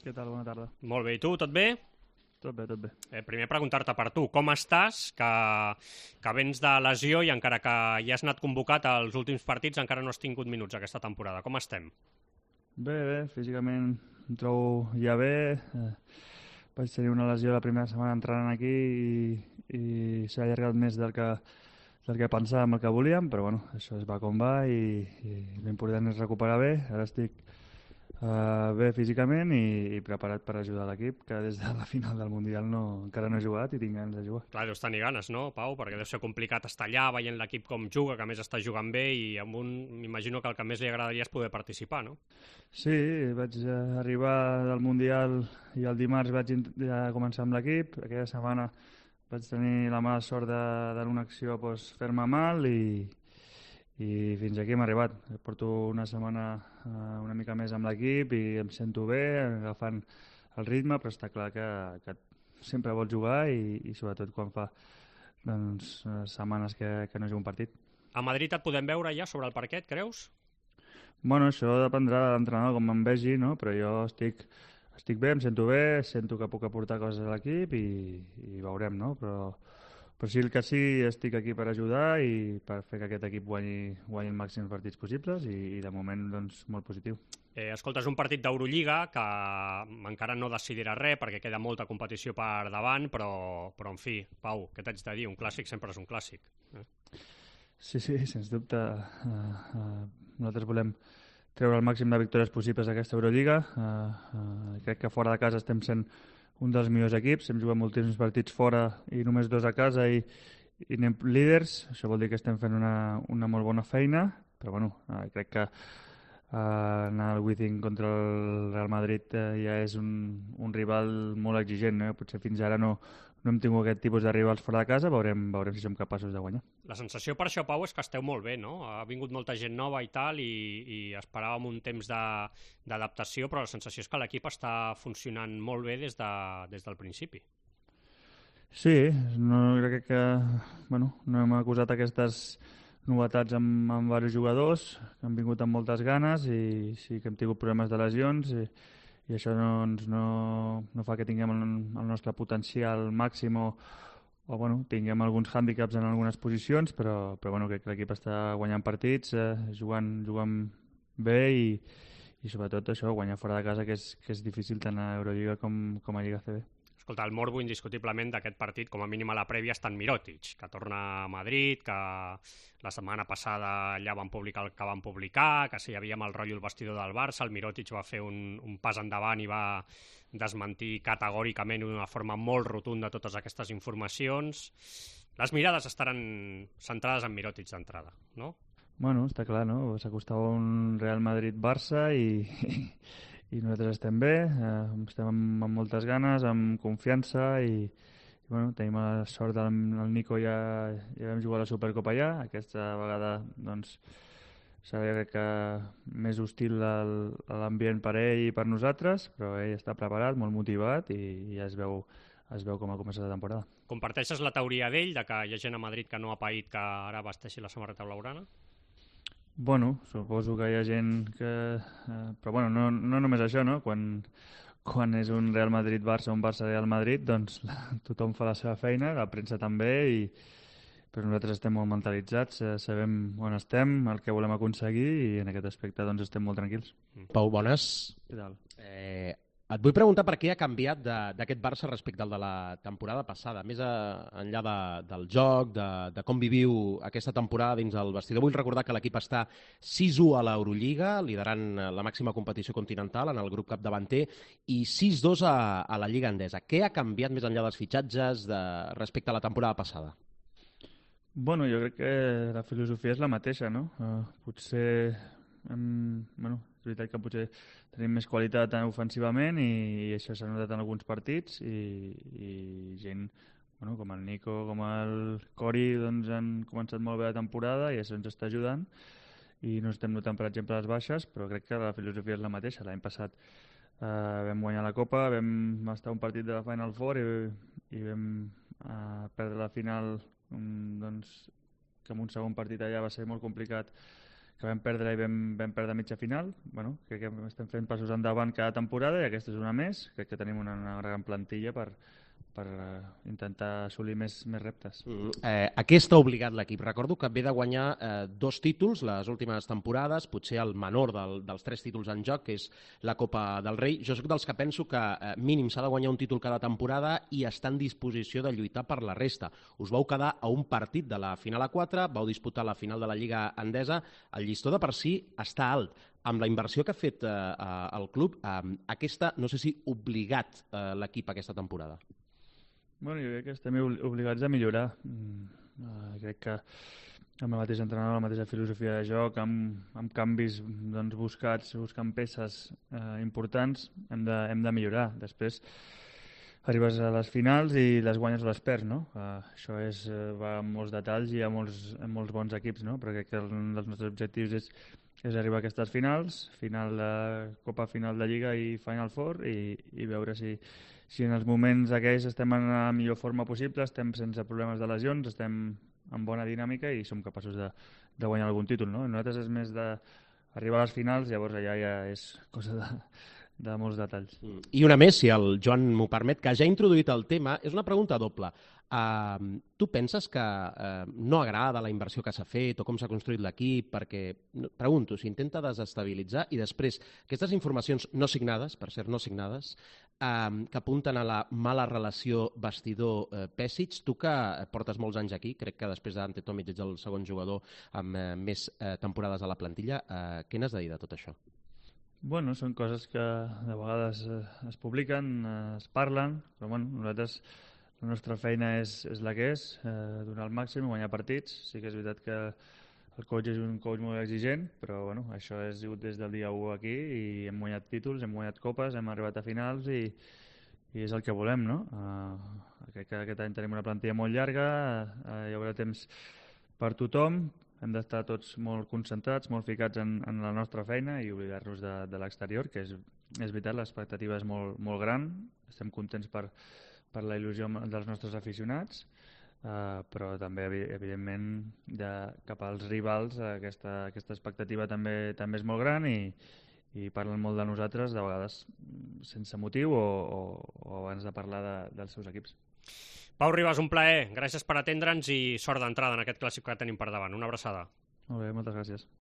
Què tal? Bona tarda. Molt bé, i tu, tot bé? Tot bé, tot bé. Primer preguntar-te per tu, com estàs? Que vens de lesió i encara que ja has anat convocat als últims partits encara no has tingut minuts aquesta temporada. Com estem? Bé, físicament em trobo ja bé. Vaig tenir una lesió la primera setmana entrant aquí i s'ha allargat més del que pensàvem, el que volíem, però bueno, això es va com va i l'important és recuperar bé. Ara estic bé físicament i preparat per ajudar l'equip, que des de la final del Mundial encara no he jugat i tinc ganes de jugar. Clar, deus tenir ganes, no, Pau? Perquè deu ser complicat estar allà veient l'equip com juga, que a més està jugant bé i amb m'imagino que el que més li agradaria és poder participar, no? Sí, vaig arribar del Mundial i el dimarts vaig ja començar amb l'equip. Aquella setmana vaig tenir la mala sort d'en una acció fer-me mal i fins aquí hem arribat. Porto una setmana una mica més amb l'equip i em sento bé, agafant el ritme, però està clar que sempre vols jugar i sobretot quan fa setmanes que no jugo un partit. A Madrid et podem veure ja sobre el parquet, creus? Bueno, això dependrà de l'entrenador, com em vegi, no? Però jo estic bé, em sento bé, sento que puc aportar coses a l'equip i veurem, no? Però sí, el que sí, estic aquí per ajudar i per fer que aquest equip guanyi el màxim de partits possibles i de moment, doncs, molt positiu. Escolta, és un partit d'Eurolliga que encara no decidirà res perquè queda molta competició per davant, però en fi, Pau, què t'haig de dir? Un clàssic sempre és un clàssic. Sí, sens dubte. Nosaltres volem treure el màxim de victòries possibles d'aquesta Eurolliga. Crec que fora de casa estem sent un dels millors equips, hem jugat moltíssims partits fora i només 2 a casa i anem líders, això vol dir que estem fent una molt bona feina, però bueno, crec que anar al Wizzing contra el Real Madrid ja és un rival molt exigent, no? Potser fins ara no hem tingut aquest tipus de rivals fora de casa, veurem si som capaços de guanyar. La sensació per això, Pau, és que esteu molt bé, no? Ha vingut molta gent nova i tal i esperàvem un temps d'adaptació, però la sensació és que l'equip està funcionant molt bé des del principi. Sí, crec que no hem acusat aquestes novetats amb diversos jugadors que han vingut amb moltes ganes i sí que hem tingut problemes de lesions i això no fa que tinguem el nostre potencial màxim o tinguem alguns hàndicaps en algunes posicions, però crec que l'equip està guanyant partits, jugant bé i sobretot això, guanyar fora de casa, que és difícil tant a Eurolliga com a Lliga CB. Escolta, el morbo indiscutiblement d'aquest partit, com a mínim a la prèvia, està en Mirotic, que torna a Madrid, que la setmana passada allà van publicar el que van publicar, que si hi havia el rotllo el vestidor del Barça, el Mirotic va fer un pas endavant i va desmentir categòricament d'una forma molt rotunda totes aquestes informacions. Les mirades estaran centrades en Mirotic d'entrada, no? Bueno, està clar, no? S'acostava un Real Madrid-Barça i nosaltres estem bé, estem amb moltes ganes, amb confiança i tenim la sort del Nico, ja vam jugar a la Supercopa allà, aquesta vegada doncs serà que més hostil l'ambient per ell i per nosaltres, però ell està preparat, molt motivat i ja es veu com ha començat la temporada. Comparteixes la teoria d'ell, de que hi ha gent a Madrid que no ha paït que ara vesteixi la samarreta blaugrana? Bueno, suposo que hi ha gent que... Però bueno, no només això, no? Quan és un Real Madrid-Barça o un Barça-Real Madrid, doncs tothom fa la seva feina, la premsa també, però nosaltres estem molt mentalitzats, sabem on estem, el que volem aconseguir i en aquest aspecte doncs estem molt tranquils. Pau, bones. Què tal? Et vull preguntar per què ha canviat d'aquest Barça respecte al de la temporada passada, més enllà del joc, de com viviu aquesta temporada dins el vestidor. Vull recordar que l'equip està 6-1 a l'Eurolliga, liderant la màxima competició continental en el grup capdavanter, i 6-2 a la Lliga Endesa. Què ha canviat més enllà dels fitxatges respecte a la temporada passada? Bueno, jo crec que la filosofia és la mateixa, no? Potser... és veritat que potser tenim més qualitat ofensivament i això s'ha notat en alguns partits i gent com el Nico, com el Cori doncs han començat molt bé la temporada i això ens està ajudant i no estem notant per exemple les baixes, però crec que la filosofia és la mateixa. L'any passat vam guanyar la Copa, vam estar un partit de la Final Four i vam perdre la final doncs que en un segon partit allà va ser molt complicat vam perdre i vam perdre a mitja final. Bueno, crec que estem fent passos endavant cada temporada i aquesta és una més. Crec que tenim una gran plantilla per intentar assolir més reptes. A què està obligat l'equip? Recordo que ve de guanyar 2 títols les últimes temporades, potser el menor dels 3 títols en joc, que és la Copa del Rei. Jo soc dels que penso que mínim s'ha de guanyar un títol cada temporada i està en disposició de lluitar per la resta. Us vau quedar a un partit de la final a 4, vau disputar la final de la Lliga Endesa. El llistó de per si està alt. Amb la inversió que ha fet el club, aquesta, no sé si obligat l'equip aquesta temporada. Bueno, jo crec que estem obligats a millorar. Crec que amb el mateix entrenador, la mateixa filosofia de joc, amb canvis buscant peces importants, hem de millorar. Després arribes a les finals i les guanyes o les perds, no? Això va amb molts detalls i amb molts bons equips, no? Però crec que un dels nostres objectius és arribar a aquestes finals, final de Copa, final de Lliga i Final Four, i veure si en els moments aquells estem en la millor forma possible, estem sense problemes de lesions, estem en bona dinàmica i som capaços de guanyar algun títol, no? Nosaltres és més d'arribar a les finals, llavors allà ja és cosa de molts detalls. I una més, si el Joan m'ho permet, que ja ha introduït el tema, és una pregunta doble. Tu penses que no agrada la inversió que s'ha fet o com s'ha construït l'equip? Perquè, pregunto, s'intenta desestabilitzar i després aquestes informacions no signades, per cert, no signades, que apunten a la mala relació vestidor-Pesic. Tu que portes molts anys aquí, crec que després d'Ante Tomic ets el segon jugador amb més temporades a la plantilla, què n'has de dir de tot això? Bueno, són coses que de vegades es publiquen, es parlen, però bueno, nosaltres la nostra feina és la que és, donar el màxim, guanyar partits. Sí que és veritat que el coach és un coach molt exigent, però bueno, això és sigut des del dia 1 aquí i hem guanyat títols, hem guanyat copes, hem arribat a finals i és el que volem, no? Crec que aquest any tenim una plantilla molt llarga, hi haurà temps per tothom, hem d'estar tots molt concentrats, molt ficats en la nostra feina i oblidar-nos de l'exterior, que és veritat, l'expectativa és molt gran, estem contents per la il·lusió dels nostres aficionats, però també, evidentment, cap als rivals aquesta expectativa també és molt gran i parlen molt de nosaltres, de vegades sense motiu o abans de parlar dels seus equips. Pau Ribas, un plaer. Gràcies per atendre'ns i sort d'entrada en aquest clàssic que tenim per davant. Una abraçada. Molt bé, moltes gràcies.